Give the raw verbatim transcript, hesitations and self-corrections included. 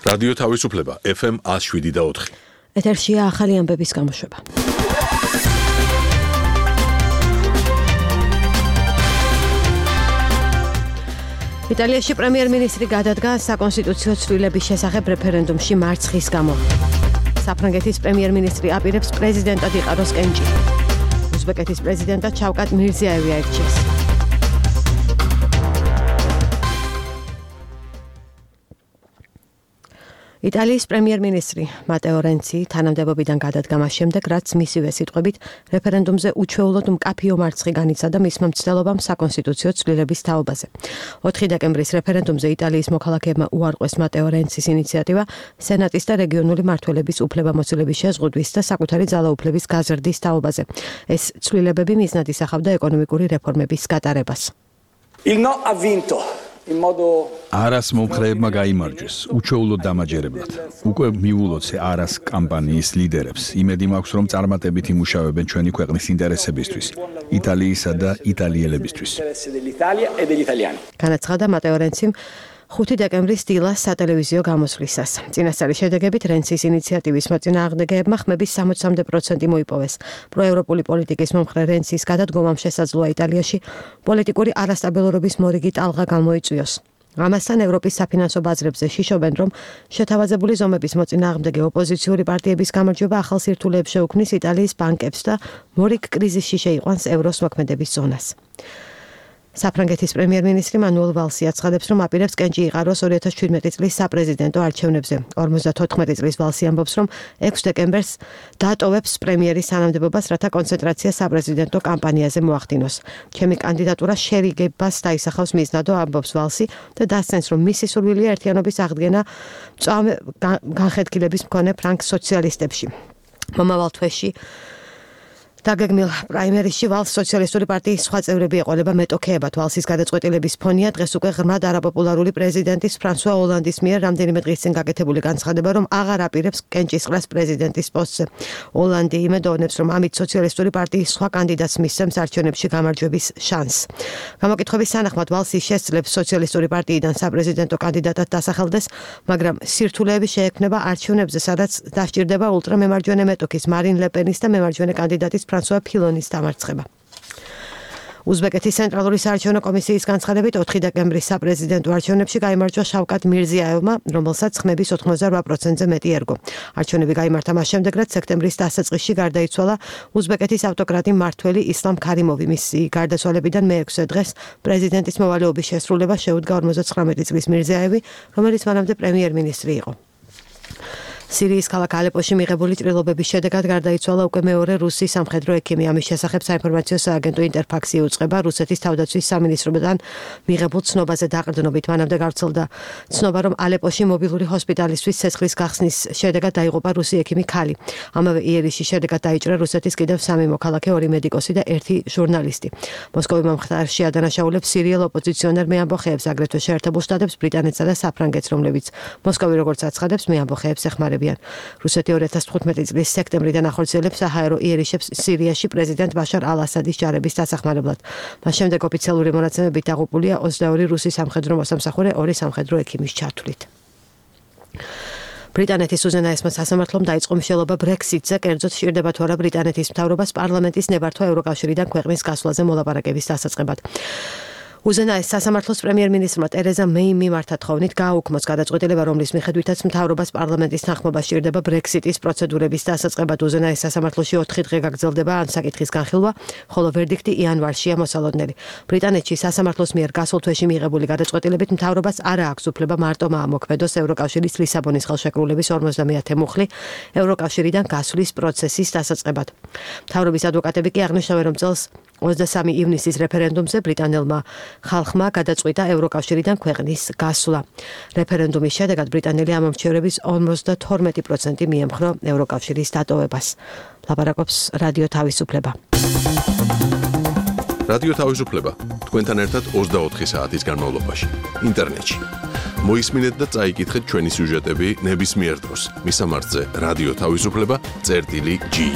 რადიო თავისუფლება ეფ ემ one oh seven და four. ეთერშია ახალი ამბების გამოშვება. იტალიაში პრემიერ-მინისტრი გადადგა საკონსტიტუციო ცვლილების შესახებ რეფერენდუმში მარცხის გამო. საფრანგეთის პრემიერ-მინისტრი აპირებს პრეზიდენტად იყაროს კენჭი. უზბეკეთის პრეზიდენტად შავკატ მირზიაევი აირჩიეს. იტალიის პრემიერ-მინისტრი მატეო რენცი თანამდებობიდან გადადგა მას შემდეგ, რაც მისივე სიტყვებით რეფერენდუმზე უჩვეულოდ მკაფიო მარცხი განიცადა მისმა მცდელობამ საკონსტიტუციო ცვლილების თაობაზე. ოთხი დეკემბრის რეფერენდუმზე იტალიის მოქალაქეებმა უარყვეს მატეო რენცის ინიციატივა სენატის და რეგიონული მმართველების უფლებამოსილების შეზღუდვის და საკუთარი ძალაუფლების გაზრდის თაობაზე. ეს ცვლილებები მიზნად ისახავდა ეკონომიკური რეფორმების გატარებას. Il no ha vinto. არას მომხრეებმა გაიმარჯვეს, უჩვეულოდ დამაჯერებლად. უკვე მიულოც არას კამპანიის ლიდერებს. იმედი მაქვს, რომ წარმატებით იმუშავებენ ჩვენი ქვეყნის ინტერესებისთვის, იტალიისა და იტალიელებისთვის. განაცხადა მატეო რენციმ ხუთი დეკემბრის დილას სატელევიზიო გამოსვლისას. წინასწარი შედეგებით რენცის ინიციატივის მოწინააღმდეგეებმა ხმების სამოცამდე პროცენტი მოიპოვეს. პროევროპული პოლიტიკის მომხრე რენცის გადადგომამ შესაძლოა იტალიაში პოლიტიკური არასტაბილურობის მორიგი ტალღა გამოიწვიოს. ამასთან ევროპის საფინანსო ბაზრებზე შიშობენ, რომ შეთავაზებული ზომების მოწინააღმდეგე ოპოზიციური პარტიების გამარჯვება ახალ სირთულეებს შეუქმნის იტალიის ბანკებს და მორიგ კრიზისში შეიყვანს ევროს მოქმედების ზონას. საფრანგეთის პრემიერ-მინისტრი მანუელ ვალსი აცხადებს, რომ აპირებს კენჭი იყაროს ორი ათას შვიდმეტი წლის საპრეზიდენტო არჩევნებზე. ორმოცდათოთხმეტი წლის ვალსი ამბობს, რომ ექვსი დეკემბერს დატოვებს პრემიერის თანამდებობას, რათა კონცენტრაცია საპრეზიდენტო კამპანიაზე მოახდინოს. ჩემი კანდიდატურა შერიგებას დაისახავს მიზნადო, ამბობს ვალსი და დასცენს, რომ მისი სურვილია ერთიანობის აღდგენა მწვავე განხეთქილების მქონე ფრანგ სოციალისტებში. მომავალ თვეში დაგეგმილ პრაიმერისში ვალს სოციალისტური პარტიის სხვა წევრები ეყოლება მეტოქეებად. ვალსის გადაწყვეტილების ფონია დღეს უკვე ღრმად არაპოპულარული პრეზიდენტის ფრანსუა ოლანდის მიერ რამდენიმე დღის წინ გაკეთებული განცხადება, რომ აღარ აპირებს კენჭისყრას პრეზიდენტის პოსტზე. ოლანდი იმედოვნებს, რომ ამით სოციალისტური პარტიის სხვა კანდიდატს მისცემს არჩევნებში გამარჯვების შანსს. გამოკითხვების თანახმად ვალსი შესძლებს სოციალისტური პარტიიდან საპრეზიდენტო კანდიდატად დასახელდეს, მაგრამ სირთულეები შეექმნება არჩევნებზე, სადაც დასჭირდება ულტრამემარჯვენე მეტოქის მარინ ლეპენის და მემარჯვენე კანდიდატის ფრანსუა ფილონის დამარცხება. უზბეკეთის ცენტრალური საარჩევნო კომისიის განცხადებით ოთხი დეკემბრის საპრეზიდენტო არჩევნებში გაიმარჯვა შავკატ მირზიაევმა, რომელსაც ხმების ოთხმოცდაოთხ პროცენტზე მეტი ერგო. არჩევნები გაიმართა მას შემდეგ, რაც სექტემბრის დასაწყისში გარდაიცვალა უზბეკეთის ავტოკრატი მმართველი ისლამ ქარიმოვი. მისი გარდაცვალებიდან მეექვსე დღეს პრეზიდენტის მოვალეობის შესრულება შეუდგა ორმოცდათხრამეტი წლის მირზიაევი, რომელიც მანამდე პრემიერ-მინისტრი იყო. სირიის ქალაქ ალეპოში მიღებული ჭრილობების შედეგად გარდაიცვალა უკვე მეორე რუსი სამხედრო ექიმი. ამის შესახებ საინფორმაციო სააგენტო ინტერფაქსი უწყება რუსეთის თავდაცვის სამინისტროდან მიღებულ ცნობაზე დაყრდნობით. მანამდე გავრცელდა ცნობა, რომ ალეპოში მობილური ჰოსპიტალისთვის ცეცხლის გახსნის შედეგად დაიღუპა რუსი ექიმი ქალი. ამავე იერიშის შედეგად დაიჭრა რუსეთის კიდევ სამი მოქალაქე, ორი მედიკოსი და ერთი ჟურნალისტი. მოსკოვი მომხდარში ადანაშაულებს სირიელ ოპოზიციონერ მეამბოხეებს, აგრეთვე შეერთებულ შტატებს, ბრიტანეთსა და საფრანგეთს, რომლებიც მოსკოვი როგორც აცხადებს, მეამბოხეებს ეხმარებიან. რუსეთი ორი ათას თხუთმეტი წლის სექტემბრიდან ახორციელებს საჰაერო იერიშებს სირიაში პრეზიდენტ ბაშარ ალ-ასადის ჯარების დასახმარებლად. მას შემდეგ ოფიციალური მონაცემებით დაღუპულია ოცდაორი რუსი სამხედრო მოსამსახურე ორი სამხედრო ექიმის ჩართვლით. ბრიტანეთის უზენაესმა სასამართლომ დაიწყო მშელობა ბრექსიტზე, კერძოდ სჭირდება თუ არა ბრიტანეთის მთავრობას პარლამენტის ნებართვა ევროკავშირიდან ქვეყნის გასვლაზე მოლაპარაკების დასაწყებად. უზენაეს სასამართლოს პრემიერ-მინისტრმა ტერეზა მეიმ მიმართა თხოვნით გააუქმოს გადაწყვეტილება, რომლის მიხედვითაც მთავრობას პარლამენტის თანხმობა სჭირდება ბრექსიტის პროცედურების დასაწყებად. უზენაეს სასამართლოში ოთხი დღე გაგრძელდება ამ საკითხის განხილვა, ხოლო ვერდიქტი იანვარშია მოსალოდნელი. ბრიტანეთში სასამართლოს მიერ გასულ თვეში მიღებული გადაწყვეტილებით მთავრობას არ აქვს უფლება მარტო მოქმედოს ევროკავშირის ლისაბონის ხელშეკრულების ორმოცდამეათე მუხლი ევროკავშირიდან გასვლის პროცესის დასაწყებად. მთავრობის ადვოკატები კი აღნიშნავენ, რომ წელს ოცდასამი ივნისის რეფერენდუმზე ბრიტანელმა ხალხმა გადაწყვიტა ევროკავშირიდან ქვეყნის გასვლა. რეფერენდუმის შედეგად ბრიტანელი ამომრჩევრების ორმოცდათორმეტი პროცენტი მიემხრო ევროკავშირის დატოვებას. ლაპარაკობს რადიო თავისუფლება. რადიო თავისუფლება თქვენთან ერთად ოცდაოთხი საათის განმავლობაში ინტერნეტში. მოისმინეთ და წაიკითხეთ ჩვენი სიუჟეტები ნებისმიერ დროს. მისამართზე რადიო თავისუფლება წერტილი ჯი.